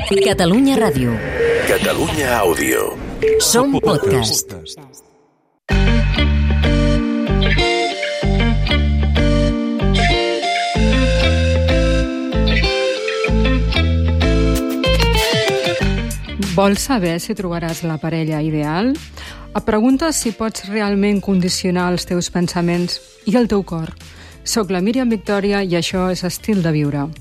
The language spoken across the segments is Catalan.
Catalunya Ràdio. Catalunya Àudio. Som podcast. Vols saber si trobaràs la parella ideal? Et preguntes si pots realment condicionar els teus pensaments i el teu cor. Soc la Míriam Victòria i això és Estil de Viure.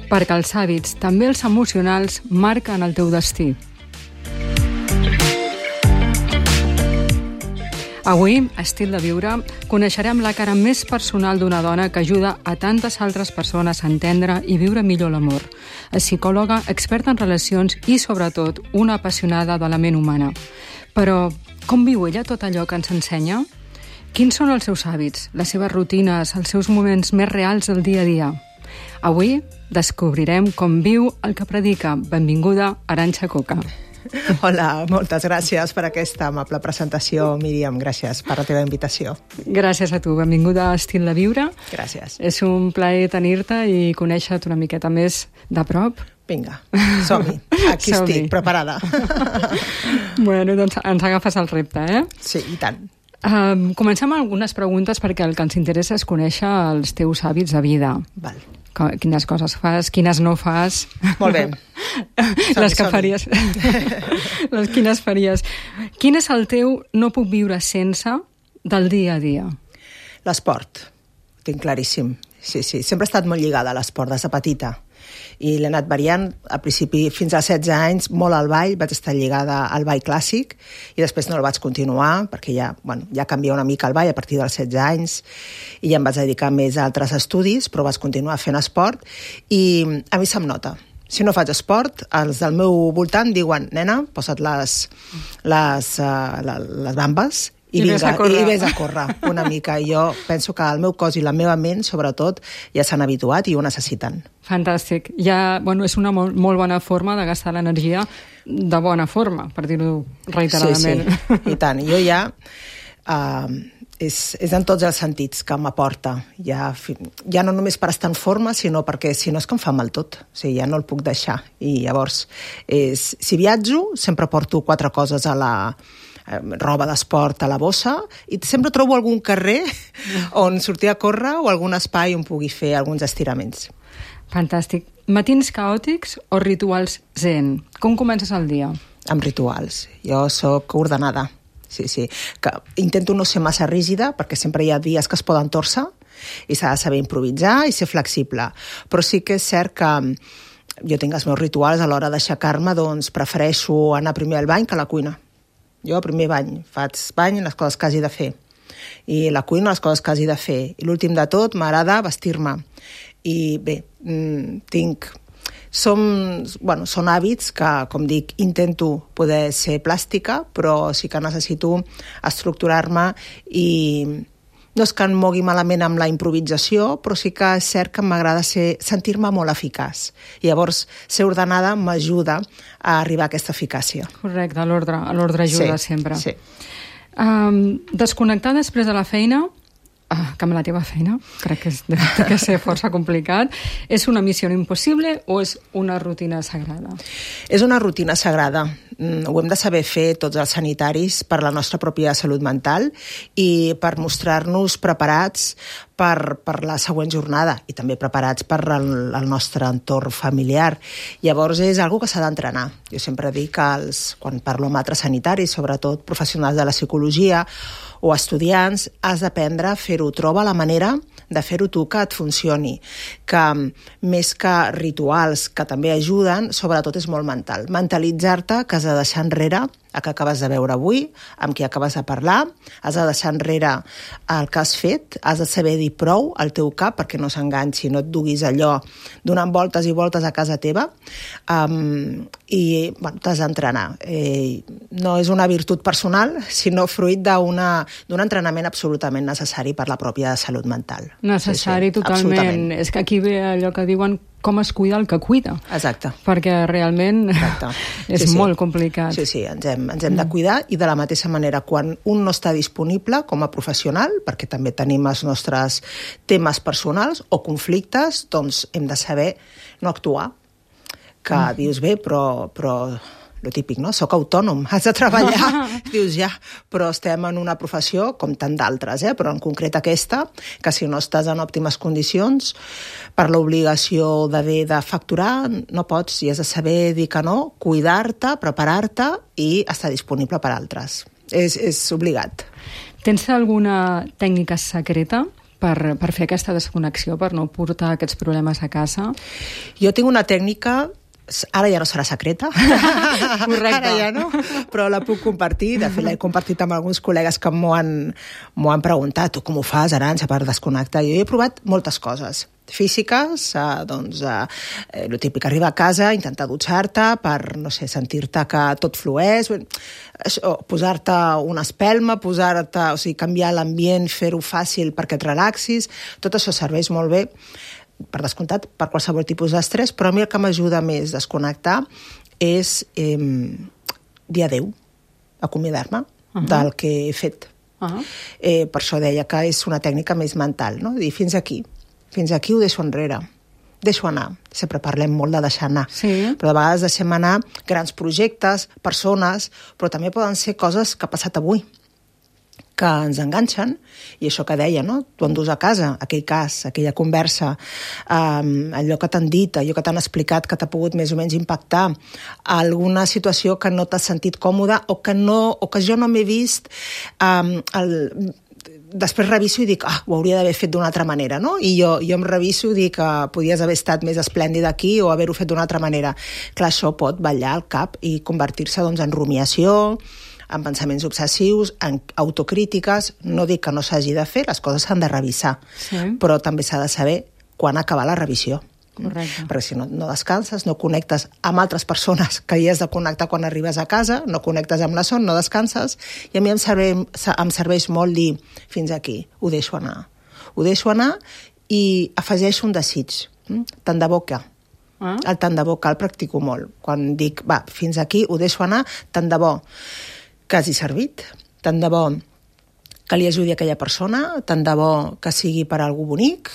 Perquè els hàbits, també els emocionals, marquen el teu destí. Avui, a Estil de Viure, coneixerem la cara més personal d'una dona que ajuda a tantes altres persones a entendre i viure millor l'amor. És psicòloga, experta en relacions i, sobretot, una apassionada de la ment humana. Però com viu ella tot allò que ens ensenya? Quins són els seus hàbits, les seves rutines, els seus moments més reals del dia a dia? Avui descobrirem com viu el que predica. Benvinguda, Arantxa Coca. Hola, moltes gràcies per aquesta amable presentació, Míriam. Gràcies per la teva invitació. Gràcies a tu. Benvinguda a Estil de Viure. Gràcies. És un plaer tenir-te i conèixer-te una miqueta més de prop. Vinga, som-hi. Aquí estic, preparada. Bueno, doncs ens agafes el repte, eh? Sí, i tant. Comencem amb algunes preguntes perquè el que ens interessa és conèixer els teus hàbits de vida. Val. Quines coses fas, quines no fas. Molt bé. Les que faries. Quines faries. Quin és el teu no puc viure sense del dia a dia? L'esport. Ho tinc claríssim. Sí. Sempre he estat molt lligada a l'esport, des de petita. I l'he anat variant, al principi fins als 16 anys, molt al ball, vaig estar lligada al ball clàssic i després no el vaig continuar perquè ja canvia una mica el ball a partir dels 16 anys i ja em vaig dedicar més a altres estudis, però vaig continuar fent esport i a mi se'm nota. Si no faig esport, els del meu voltant diuen, nena, posa't les bambes i vés a córrer una mica. I jo penso que el meu cos i la meva ment, sobretot, ja s'han habituat i ho necessiten. Fantàstic. És una molt bona forma de gastar l'energia de bona forma, per dir-ho reiteradament. Sí. I tant. Jo ja... és en tots els sentits que m'aporta. Ja no només per estar en forma, sinó perquè si no és que em fa mal tot. O sigui, ja no el puc deixar. I llavors, si viatjo, sempre porto 4 coses a la roba d'esport a la bossa i sempre trobo algun carrer on sortir a córrer o algun espai on pugui fer alguns estiraments. Fantàstic. Matins caòtics o rituals zen? Com comences el dia? Amb rituals. Jo sóc ordenada. Sí. Que intento no ser massa rígida perquè sempre hi ha dies que es poden torçar i s'ha de saber improvisar i ser flexible. Però sí que és cert que jo tinc els meus rituals a l'hora d'aixecar-me, doncs prefereixo anar primer al bany que a la cuina. Jo primer faig bany les coses que hagi de fer i la cuina les coses que hagi de fer i l'últim de tot m'agrada vestir-me i bé, són hàbits que, com dic, intento poder ser plàstica, però sí que necessito estructurar-me i no és que em mogui malament amb la improvisació, però sí que és cert que m'agrada sentir-me molt eficaç. I llavors, ser ordenada m'ajuda a arribar a aquesta eficàcia. Correcte, l'ordre ajuda sempre. Sí. Desconnectar després de la feina, que amb la teva feina, crec que té que ser força complicat, és una missió impossible o és una rutina sagrada? És una rutina sagrada. Ho hem de saber fer tots els sanitaris per la nostra pròpia salut mental i per mostrar-nos preparats per la següent jornada i també preparats per el nostre entorn familiar. Llavors és una cosa que s'ha d'entrenar. Jo sempre dic que quan parlo amb altres sanitaris, sobretot professionals de la psicologia o estudiants, has d'aprendre a fer-ho. Troba la manera de fer-ho tu que et funcioni, que més que rituals que també ajuden, sobretot és molt mental. Mentalitzar-te que has de deixar enrere el que acabes de veure avui, amb qui acabes de parlar, has de deixar enrere el que has fet, has de saber dir prou al teu cap perquè no s'enganxi, no et duguis allò donant voltes i voltes a casa teva i t'has d'entrenar. No és una virtut personal, sinó fruit d'un entrenament absolutament necessari per la pròpia salut mental. Necessari, sí, totalment. És que aquí ve allò que diuen com es cuida el que cuida. Exacte. Perquè realment és molt complicat. Sí, ens hem de cuidar, i de la mateixa manera, quan un no està disponible com a professional, perquè també tenim els nostres temes personals o conflictes, doncs hem de saber no actuar. Que dius, bé, però lo típic, no? Soc autònom, has de treballar. Dius, ja, però estem en una professió com tant d'altres, però en concret aquesta, que si no estàs en òptimes condicions, per l'obligació d'haver de facturar, no pots, i has de saber dir que no, cuidar-te, preparar-te i estar disponible per altres. És obligat. Tens alguna tècnica secreta per fer aquesta desconnexió, per no portar aquests problemes a casa? Jo tinc una tècnica. Ara ja no serà secreta. Correcte. Ara ja no, però la puc compartir. De fet, l'he compartit amb alguns col·legues que m'ho han preguntat: tu com ho fas, Arantxa, per desconnectar? Jo he provat moltes coses físiques, el típic, arribar a casa, intentar dutxar-te per, no sé, sentir-te que tot flueix, posar-te una espelma, o sigui, canviar l'ambient, fer-ho fàcil perquè et relaxis. Tot això serveix molt bé, per descomptat, per qualsevol tipus d'estrès, però a mi el que m'ajuda més a desconnectar és dir adéu, acomiadar-me del que he fet. Per això deia que és una tècnica més mental, no? Dir, fins aquí ho deixo enrere, deixo anar. Sempre parlem molt de deixar anar, però de vegades deixem anar grans projectes, persones, però també poden ser coses que ha passat avui, que ens enganxen, i això que deia, no? Tu endús a casa aquell cas, aquella conversa, allò que t'han dit, allò que t'han explicat, que t'ha pogut més o menys impactar, alguna situació que no t'has sentit còmode o que jo no m'he vist, després reviso i dic, ho hauria d'haver fet d'una altra manera, no? I jo em reviso i dic que podies haver estat més esplèndid aquí o haver-ho fet d'una altra manera. Clar, això pot ballar al cap i convertir-se en rumiació, en pensaments obsessius, en autocrítiques. No dic que no s'hagi de fer, les coses s'han de revisar, però també s'ha de saber quan acabar la revisió. Correcte. Perquè si no descanses, no connectes amb altres persones que hi has de connectar quan arribes a casa, no connectes amb la son, no descanses, i a mi em serveix molt dir, fins aquí, ho deixo anar, i afegeixo un desig, tant de bo que. El tant de bo que el practico molt. Quan dic, fins aquí, ho deixo anar, tant de bo que hagi servit, tant de bo que li ajudi a aquella persona, tant de bo que sigui per algú bonic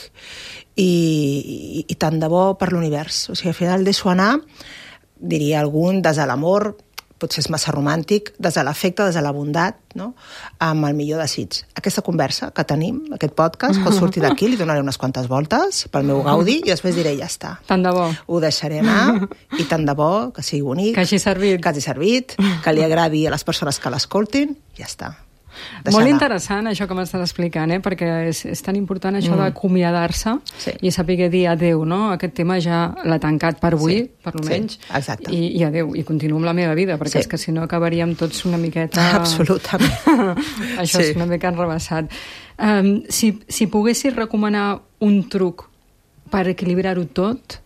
i tant de bo per l'univers. O sigui, al final deixo anar, diria algun, des de l'amor, potser és massa romàntic, des de l'afecte, des de la bondat, no? Amb el millor desig. Aquesta conversa que tenim, aquest podcast, pot sortir d'aquí, li donaré unes quantes voltes pel meu gaudi i després diré, ja està. Tant de bo. Ho deixaré anar i tant de bo que sigui bonic, que hagi servit, que li agradi a les persones que l'escoltin, ja està. Molt interessant això que m'estàs explicant, perquè és tan important això d'acomiadar-se i saber dir adéu, no? Aquest tema ja l'ha tancat per avui, per almenys, i adéu, i continuo amb la meva vida, perquè és que si no acabaríem tots una miqueta... Absolutament. Això és una mica enrebaçat. Si poguessis recomanar un truc per equilibrar-ho tot,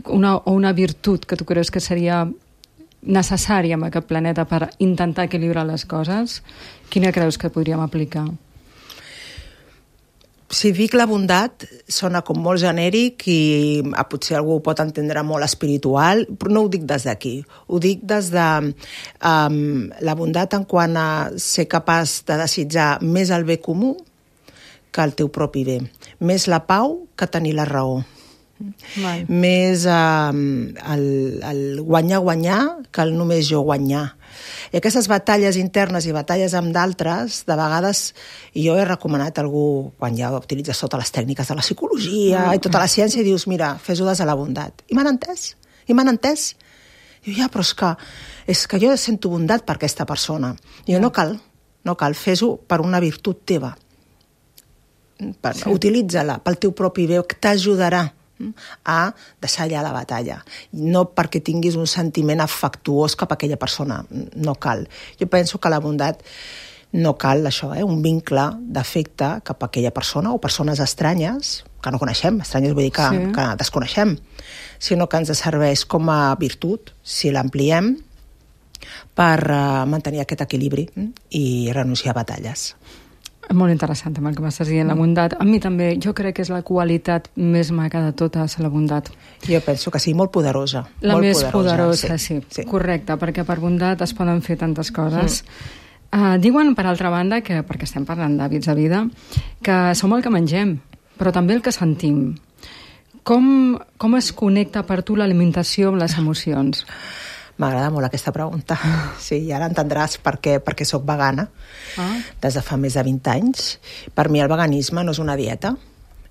o una virtut que tu creus que seria necessària en aquest planeta per intentar equilibrar les coses, quina creus que podríem aplicar? Si dic la bondat, sona com molt genèric i potser algú ho pot entendre molt espiritual, però no ho dic des d'aquí. Ho dic des de la bondat en quant a ser capaç de desitjar més el bé comú que el teu propi bé. Més la pau que tenir la raó. Més el guanyar que el només jo guanyar. I aquestes batalles internes i batalles amb d'altres, de vegades, jo he recomanat a algú, quan ja utilitzes totes les tècniques de la psicologia i tota la ciència, i dius, mira, fes-ho des de la bondat. I m'han entès. Diu, ja, però és que jo sento bondat per aquesta persona. I jo, no cal, fes-ho per una virtut teva. Utilitza-la pel teu propi bé, que t'ajudarà a deixar allà la batalla. No perquè tinguis un sentiment afectuós cap a aquella persona. No cal. Jo penso que la bondat no cal això, un vincle d'afecte cap a aquella persona o persones estranyes, que no coneixem, estranyes vull dir que desconeixem, sinó que ens serveix com a virtut, si l'ampliem, per mantenir aquest equilibri i renunciar a batalles. Molt interessant també el que m'estàs dient, la bondat. A mi també, jo crec que és la qualitat més maca de totes, la bondat. Jo penso que sí, molt poderosa. La molt més poderosa, sí. Correcte, perquè per bondat es poden fer tantes coses. Diuen, per altra banda, que perquè estem parlant d'hàbits de vida, que som el que mengem, però també el que sentim. Com es connecta per tu l'alimentació amb les emocions? M'agrada molt aquesta pregunta. Sí, i ara entendràs perquè soc vegana des de fa més de 20 anys. Per mi el veganisme no és una dieta,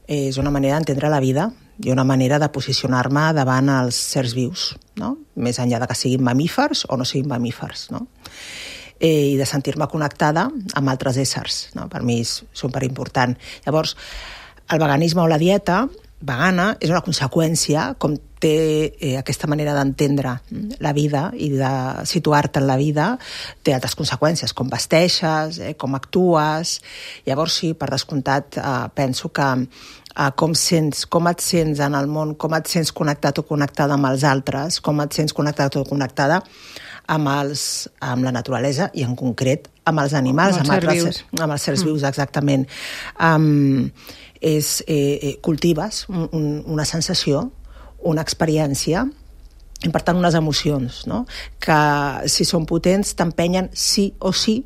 és una manera d'entendre la vida i una manera de posicionar-me davant els sers vius, no? Més enllà de que siguin mamífers o no siguin mamífers, no? I de sentir-me connectada amb altres éssers, no? Per mi és superimportant. Llavors, el veganisme o la dieta vegana és una conseqüència, com té aquesta manera d'entendre la vida i de situar-te en la vida, té altres conseqüències, com vesteixes, com actues. Llavors sí, per descomptat, penso que com et sents en el món, com et sents connectat o connectada amb els altres, com et sents connectat o connectada amb la naturalesa i en concret amb els animals, amb els sers vius, exactament. Cultives una sensació, una experiència i per tant unes emocions, no? Que si són potents t'empenyen sí o sí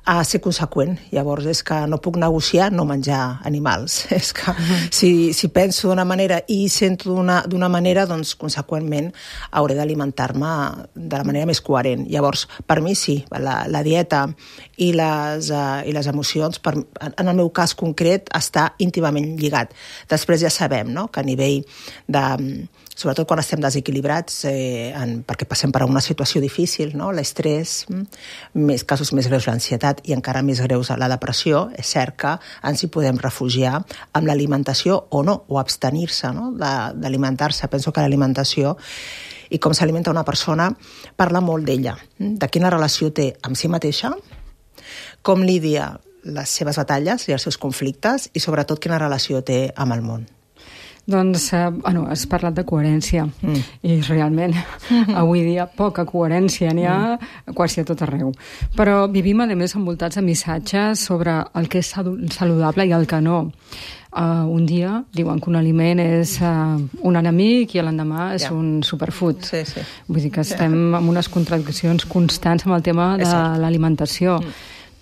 a ser conseqüent. Llavors és que no puc negociar no menjar animals. És que si penso d'una manera i sento d'una manera, doncs conseqüentment hauré d'alimentar-me de la manera més coherent. Llavors, per mi sí, la dieta i les emocions, en el meu cas concret, està íntimament lligat. Després ja sabem, no?, que a nivell de... sobretot quan estem desequilibrats, perquè passem per una situació difícil, no?, l'estrès, casos més greus l'ansietat i encara més greus la depressió, és cert que ens hi podem refugiar amb l'alimentació o no, o abstenir-se, no?, d'alimentar-se. Penso que l'alimentació i com s'alimenta una persona parla molt d'ella, de quina relació té amb si mateixa, com lidia les seves batalles i els seus conflictes i sobretot quina relació té amb el món. Doncs, has parlat de coherència i realment avui dia poca coherència n'hi ha quasi a tot arreu. Però vivim, a més, envoltats de missatges sobre el que és saludable i el que no. Un dia diuen que un aliment és un enemic i l'endemà és un superfood. Sí. Vull dir que estem amb unes contradiccions constants amb el tema de l'alimentació.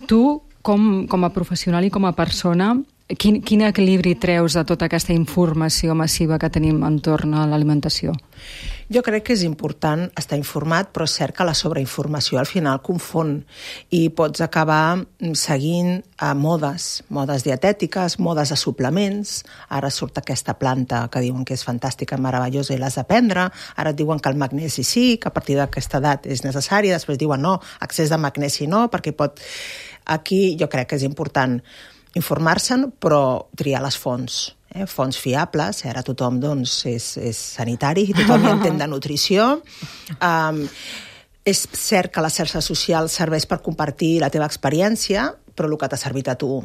Tu, com a professional i com a persona, quin equilibri treus de tota aquesta informació massiva que tenim entorn a l'alimentació? Jo crec que és important estar informat, però és cert que la sobreinformació al final confon i pots acabar seguint modes dietètiques, modes de suplements. Ara surt aquesta planta que diuen que és fantàstica, meravellosa i l'has de prendre. Ara et diuen que el magnesi sí, que a partir d'aquesta edat és necessari. Després diuen no, excés de magnesi no, perquè pot... Aquí jo crec que és important informar-se'n, però triar les fonts. Fonts fiables, ara tothom doncs, és sanitari, tothom hi entén de nutrició. És cert que les xarxes socials serveix per compartir la teva experiència, però el que t'ha servit a tu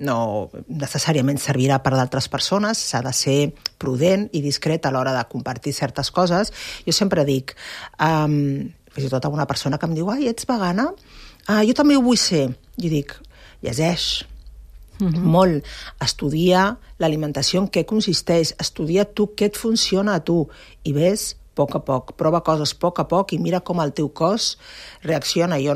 no necessàriament servirà per d'altres persones, s'ha de ser prudent i discret a l'hora de compartir certes coses. Jo sempre dic, fins i tot a una persona que em diu ets vegana? Jo també ho vull ser. Jo dic, llegeix, molt, estudia l'alimentació, en què consisteix, estudia tu què et funciona a tu i ves a poc, prova coses a poc i mira com el teu cos reacciona. Jo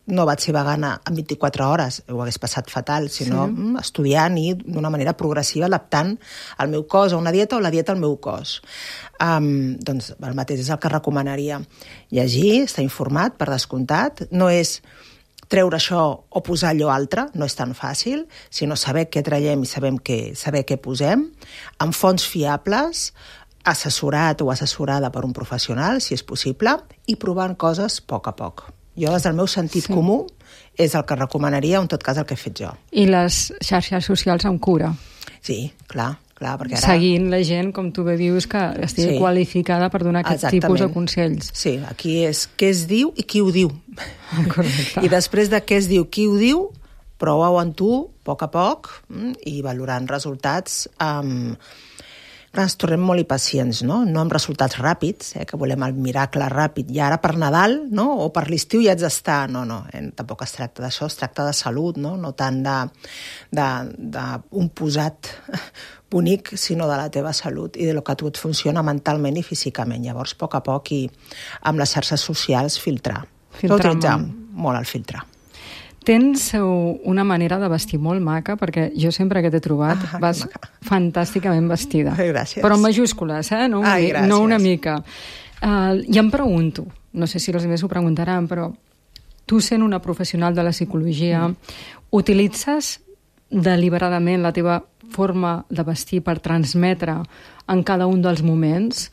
no vaig ser vegana en 24 hores, ho hagués passat fatal, sinó estudiant i d'una manera progressiva adaptant el meu cos a una dieta o la dieta al meu cos. Doncs el mateix és el que recomanaria. Llegir, estar informat, per descomptat, no és treure això o posar allò altre, no és tan fàcil, sinó saber què traiem i saber què posem, amb fonts fiables, assessorat o assessorada per un professional, si és possible, i provant coses a poc. Jo, des del meu sentit comú, és el que recomanaria, en tot cas el que he fet jo. I les xarxes socials amb cura? Sí, clar, perquè ara... Seguint la gent, com tu bé dius, que estigui qualificada per donar aquest tipus de consells. Sí, aquí és què es diu i qui ho diu. Correcte. I després de què es diu, qui ho diu, prova-ho en tu, a poc, i valorant resultats però ens tornem molt impacients, no amb resultats ràpids, que volem el miracle ràpid, i ara per Nadal, no? O per l'estiu ja haig d'estar. No, tampoc es tracta d'això, es tracta de salut, no tant d'un posat bonic, sinó de la teva salut i de lo que a tu et funciona mentalment i físicament. Llavors, a poc i amb les xarxes socials, filtrar. Utilitzar molt el filtrar. Tens una manera de vestir molt maca, perquè jo sempre que t'he trobat vas fantàsticament vestida. Gràcies. Però en majúscules, no una mica. I em pregunto, no sé si els altres ho preguntaran, però tu sent una professional de la psicologia, utilitzes deliberadament la teva forma de vestir per transmetre en cada un dels moments?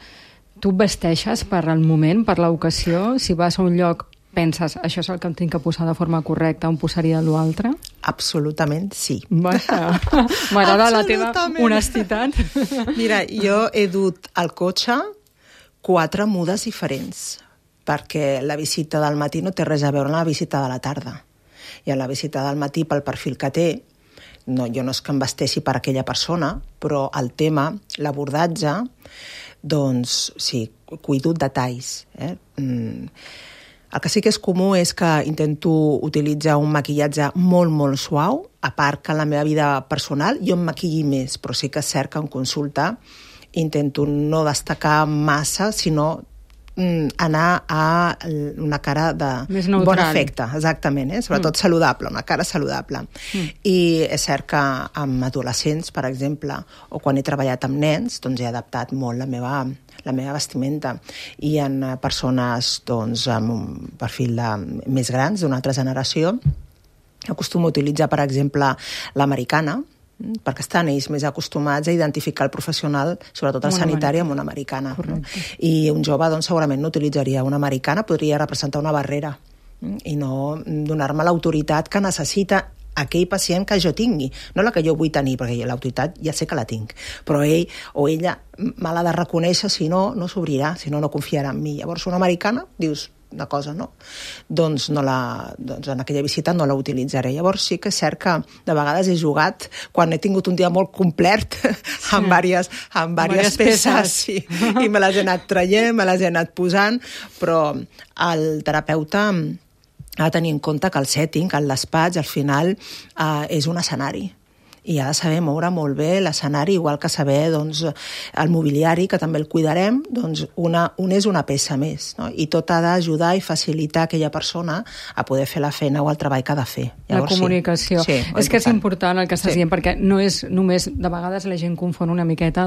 Tu vesteixes per al moment, per l'ocasió? Si vas a un lloc, penses, això és el que em tinc que posar de forma correcta, on posaria l'altre? Absolutament sí. M'agrada la teva honestitat. Mira, jo he dut al cotxe 4 mudes diferents, perquè la visita del matí no té res a veure amb la visita de la tarda. I en la visita del matí, pel perfil que té, jo no és que em vesteixi per aquella persona, però el tema, l'abordatge, doncs sí, cuido detalls. El que sí que és comú és que intento utilitzar un maquillatge molt, molt suau, a part que en la meva vida personal jo em maquilli més, però sí que és cert que en consulta intento no destacar massa, sinó anar a una cara de bon efecte, exactament, sobretot saludable, una cara saludable. I és cert que amb adolescents, per exemple, o quan he treballat amb nens, doncs he adaptat molt la meva vestimenta, i en persones amb un perfil més grans, d'una altra generació, acostumo a utilitzar, per exemple, l'americana, perquè estan ells més acostumats a identificar el professional, sobretot el sanitari, amb una americana. I un jove segurament no utilitzaria una americana, podria representar una barrera i no donar-me l'autoritat que necessita aquell pacient que jo tingui, no la que jo vull tenir, perquè l'autoritat ja sé que la tinc, però ell o ella me l'ha de reconèixer, si no, no s'obrirà, si no, no confiarà en mi. Llavors, una americana, dius, una cosa, no? Doncs en aquella visita no la utilitzaré. Llavors sí que és cert que de vegades he jugat, quan he tingut un dia molt complet, amb diverses peces, i me les he anat traient, me les he anat posant, però el terapeuta ha de tenir en compte que el setting, que el despatx, al final és un escenari. I ha de saber moure molt bé l'escenari, igual que saber el mobiliari, que també el cuidarem, un és una peça més, no? I tot ha d'ajudar i facilitar aquella persona a poder fer la feina o el treball que ha de fer. Llavors, la comunicació. Sí, és que és important el que estàs dient, perquè no és només, de vegades la gent confon una miqueta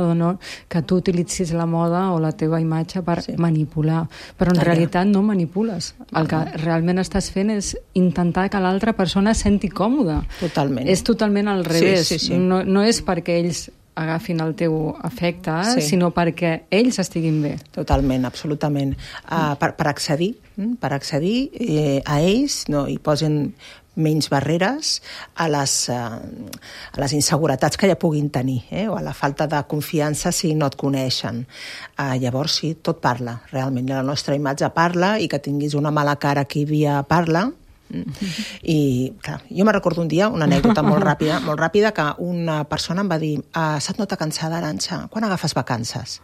que tu utilitzis la moda o la teva imatge per manipular, però en realitat no manipules. El que realment estàs fent és intentar que l'altra persona es senti còmoda. Totalment. És totalment al revés. Sí. No és perquè ells agafin el teu efecte, sinó perquè ells estiguin bé. Totalment, absolutament. Per accedir a ells, i posin menys barreres a les inseguretats que ja puguin tenir, o a la falta de confiança si no et coneixen. Llavors sí, tot parla, realment. La nostra imatge parla, i que tinguis una mala cara qui dia parla. I clar, jo me recordo un dia una anècdota molt ràpida, que una persona em va dir: se't nota cansada, Arantxa, quan agafes vacances?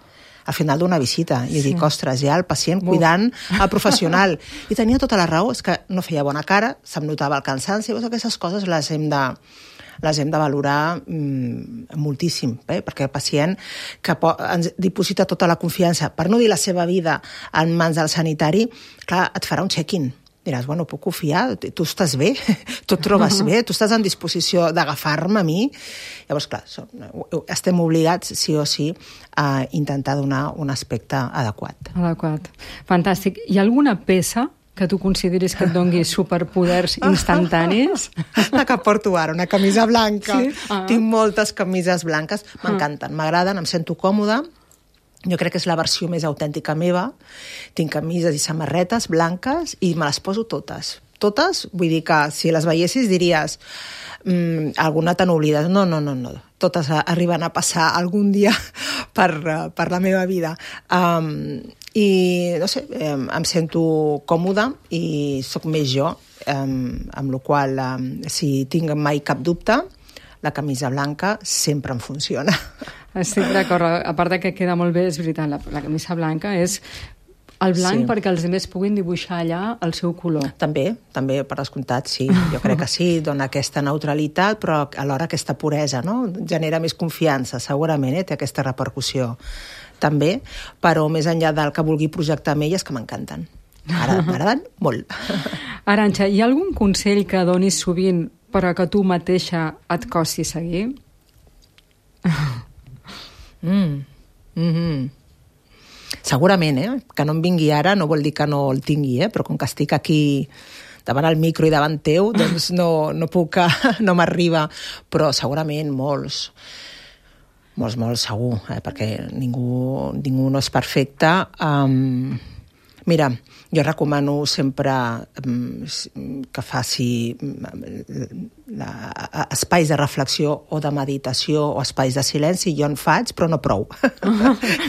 Al final d'una visita. I jo dic, ostres, ja el pacient cuidant el professional. I tenia tota la raó, és que no feia bona cara, se'm notava el cansanci, aquestes coses les hem de valorar moltíssim, perquè el pacient que ens diposita tota la confiança, per no dir la seva vida, en mans del sanitari, clar, et farà un check-in. Diràs, bueno, puc confiar? Tu estàs bé? Tu et trobes bé? Tu estàs en disposició d'agafar-me a mi? Llavors, clar, estem obligats, sí o sí, a intentar donar un aspecte adequat. Fantàstic. Hi ha alguna peça que tu consideris que et doni superpoders instantanis? La que porto ara, una camisa blanca. Sí? Tinc moltes camises blanques, m'encanten, m'agraden, em sento còmoda. Jo crec que és la versió més autèntica meva. Tinc camises i samarretes blanques i me les poso totes. Totes, vull dir que si les veiessis diries alguna te n'oblides. No. Totes arriben a passar algun dia per la meva vida. I, no sé, em sento còmoda i sóc més jo, amb la qual si tinc mai cap dubte, la camisa blanca sempre em funciona. Estic d'acord. A part que queda molt bé, és veritat, la camisa blanca és el blanc perquè els altres puguin dibuixar allà el seu color. També, per descomptat, sí. Jo crec que sí, dona aquesta neutralitat, però alhora aquesta puresa, no? Genera més confiança, segurament, té aquesta repercussió. També, però més enllà del que vulgui projectar amb elles, que m'encanten. M'agraden molt. Arantxa, hi ha algun consell que donis sovint però que tu mateixa et costi seguir? Segurament, que no em vingui ara no vol dir que no el tingui, però com que estic aquí davant el micro i davant teu, doncs no puc, no m'arriba, però segurament molts segur, perquè ningú no és perfecte. Mira, jo recomano sempre que faci espais de reflexió o de meditació o espais de silenci. Jo en faig, però no prou.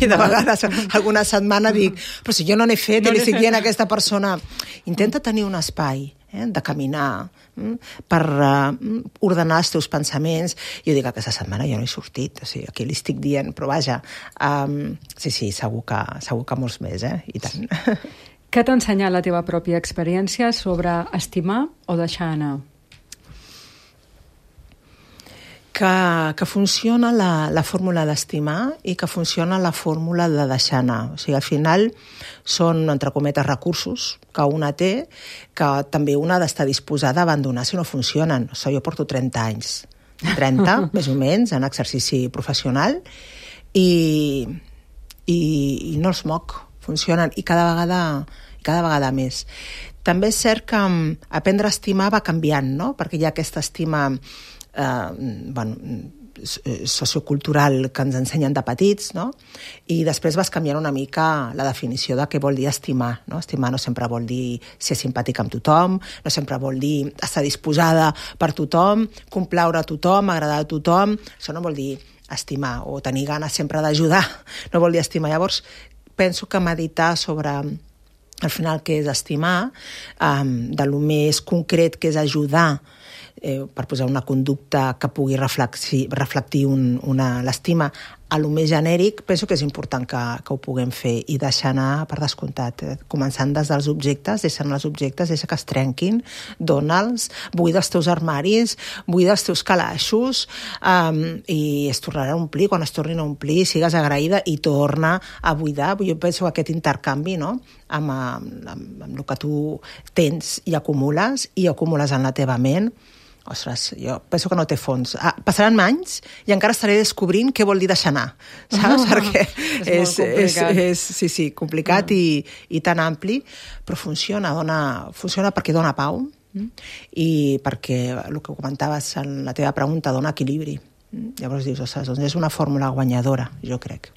I de vegades, alguna setmana dic, però si jo no n'he fet, i li estic dient a aquesta persona, intenta tenir un espai de caminar, per ordenar els teus pensaments. Jo dic, aquesta setmana jo no he sortit, o sigui, aquí li estic dient, però vaja, sí, segur que molts més, i tant. Què t'ha ensenyat la teva pròpia experiència sobre estimar o deixar anar? Que funciona la fórmula d'estimar i que funciona la fórmula de deixar anar. O sigui, al final són, entre cometes, recursos que una té, que també una ha d'estar disposada a abandonar si no funcionen. O sigui, jo porto 30 anys, 30, més o menys, en exercici professional, i no els moc, funcionen, i cada vegada més. També és cert que aprendre a estimar va canviant, no? Perquè hi ha aquesta estima sociocultural que ens ensenyen de petits, no? I després vas canviant una mica la definició de què vol dir estimar, no? Estimar no sempre vol dir ser simpàtic amb tothom, no sempre vol dir estar disposada per tothom, complaure a tothom, agradar a tothom. Això no vol dir estimar, o tenir ganes sempre d'ajudar, no vol dir estimar. Llavors, penso que meditar sobre al final què és estimar, de lo més concret que és ajudar, per posar una conducta que pugui reflectir l'estima, a lo més genèric, penso que és important que ho puguem fer i deixar anar per descomptat, començant des dels objectes, deixa que es trenquin, dona'ls, buida els teus armaris, buida els teus calaixos, i es tornarà a omplir. Quan es tornin a omplir, sigues agraïda i torna a buidar. Jo penso que aquest intercanvi, no?, amb el que tu tens i acumules en la teva ment, ostres, jo penso que no té fons. Passaran anys i encara estaré descobrint què vol dir deixar anar, saps? Perquè és complicat i tan ampli, però funciona perquè dona pau i perquè, el que comentaves en la teva pregunta, dona equilibri. Llavors dius, ostres, doncs és una fórmula guanyadora, jo crec.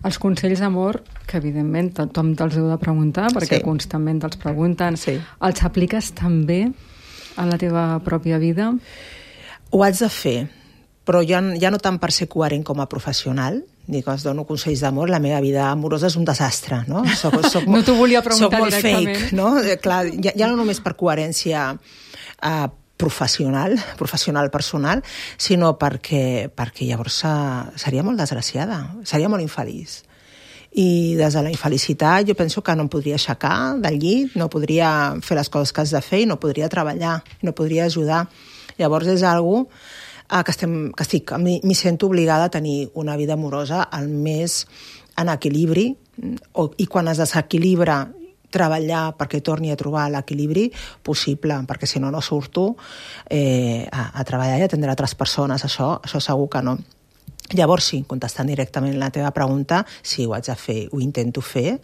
Els consells d'amor, que evidentment tothom te'ls heu de preguntar, perquè constantment te'ls pregunten, els apliques també a la teva pròpia vida? Ho haig de fer, però ja no tant per ser coherent com a professional, ni que els dono consells d'amor, la meva vida amorosa és un desastre, no? No t'ho volia preguntar directament. Soc molt fake, no? Clar, ja no només per coherència professional, personal, sinó perquè llavors seria molt desgraciada, seria molt infeliç. I des de la infelicitat jo penso que no em podria aixecar del llit, no podria fer les coses que has de fer i no podria treballar, no podria ajudar. Llavors és algo que m'hi sento obligada a tenir una vida amorosa el més en equilibri, i quan es desequilibra treballar perquè torni a trobar l'equilibri possible, perquè si no surto a treballar i atendre altres persones, això segur que no. Llavors sí, contestant directament la teva pregunta, sí, ho haig de fer, ho intento fer,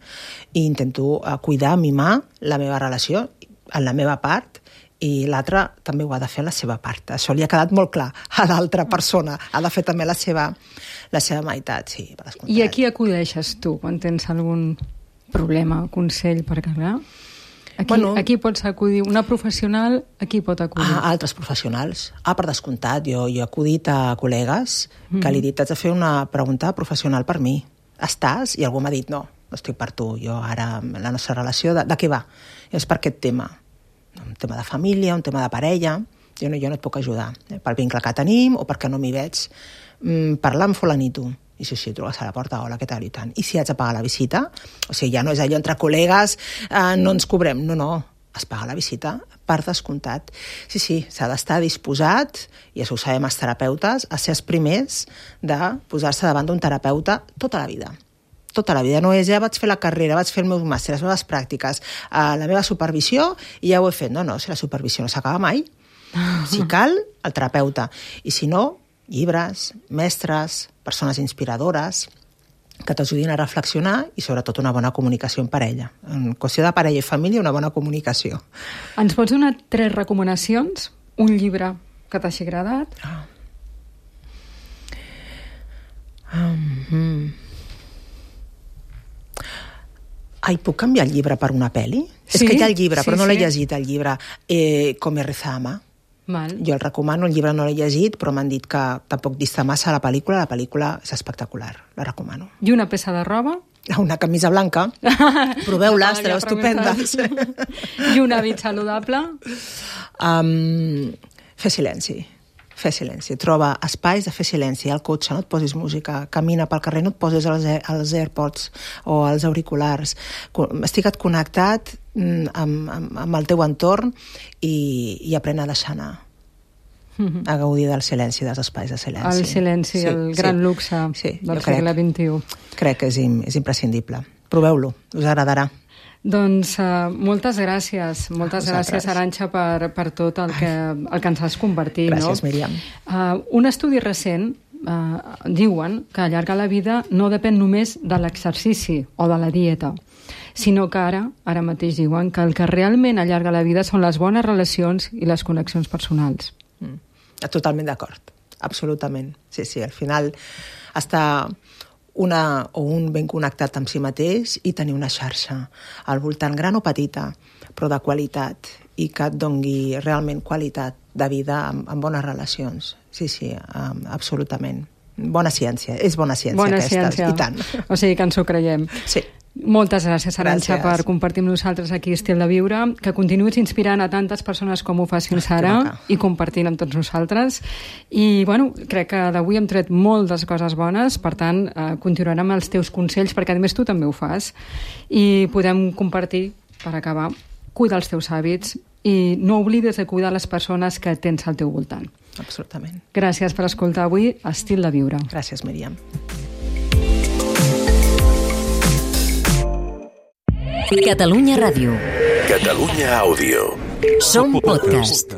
i intento cuidar, mimar la meva relació en la meva part, i l'altra també ho ha de fer la seva part. Això li ha quedat molt clar a l'altra persona, ha de fer també la seva meitat, sí, per descomptat. I a qui acudeixes tu quan tens algun problema, consell, perquè clar, aquí pots acudir, una professional, a qui pot acudir? A altres professionals. Per descomptat, jo he acudit a col·legues que li he dit, haig de fer una pregunta professional per mi. Estàs? I algú m'ha dit, no estic per tu, jo ara, la nostra relació, de què va? És per aquest tema. Un tema de família, un tema de parella, jo no et puc ajudar, pel vincle que tenim o perquè no m'hi veig. Parlar amb fulanito. I sí, truques a la porta, hola, què tal, i tant. I si haig de pagar la visita, o sigui, ja no és allò entre col·legues, no ens cobrem, no, es paga la visita per descomptat. Sí, s'ha d'estar disposat, i això ho sabem els terapeutes, a ser els primers de posar-se davant d'un terapeuta tota la vida. Tota la vida. No és, ja vaig fer la carrera, vaig fer el meu màster, les meves pràctiques, la meva supervisió, i ja ho he fet. No, si la supervisió no s'acaba mai. Si cal, el terapeuta. I si no, llibres, mestres, persones inspiradores que t'ajudin a reflexionar i sobretot una bona comunicació en parella. En qüestió de parella i família, una bona comunicació. Ens pots donar 3 recomanacions? Un llibre que t'hagi agradat? Puc canviar el llibre per una pel·li? Sí, és que hi ha el llibre, sí, però no l'he sí. llegit, el llibre Come reza Ama. Mal. Jo el recomano, el llibre no l'he llegit, però m'han dit que tampoc dista massa la pel·lícula és espectacular, la recomano. I una peça de roba? Una camisa blanca, proveu-la, estareu estupendes. I un hàbit saludable? Fer silenci, troba espais de fer silenci, al cotxe, no et posis música, camina pel carrer, no et posis els AirPods o els auriculars, estigue't connectat amb el teu entorn i aprèn a deixar anar, a gaudir del silenci, dels espais de silenci. El silenci, el gran luxe del segle XXI. Crec que és imprescindible. Proveu-lo, us agradarà. Doncs moltes gràcies, Arantxa, per tot el que ens has compartit. Gràcies, Míriam. Un estudi recent diuen que allargar la vida no depèn només de l'exercici o de la dieta, sinó que ara mateix diuen que el que realment allarga la vida són les bones relacions i les connexions personals. Totalment d'acord, absolutament. Sí, al final està un ben connectat amb si mateix i tenir una xarxa al voltant, gran o petita, però de qualitat, i que et dongui realment qualitat de vida amb bones relacions. Sí, absolutament. Bona ciència, és bona ciència aquesta, i tant. O sigui que ens ho creiem. Sí. Moltes gràcies, Arantxa, per compartir amb nosaltres aquí Estil de Viure, que continuïs inspirant a tantes persones com ho fas fins ara i compartint amb tots nosaltres. I, crec que d'avui hem tret moltes coses bones, per tant, continuarem amb els teus consells, perquè a més tu també ho fas, i podem compartir, per acabar, cuidar els teus hàbits i no oblides de cuidar les persones que tens al teu voltant. Absolutament. Gràcies per escoltar avui Estil de Viure. Gràcies, Míriam. Catalunya Ràdio. Catalunya Àudio. Som podcast.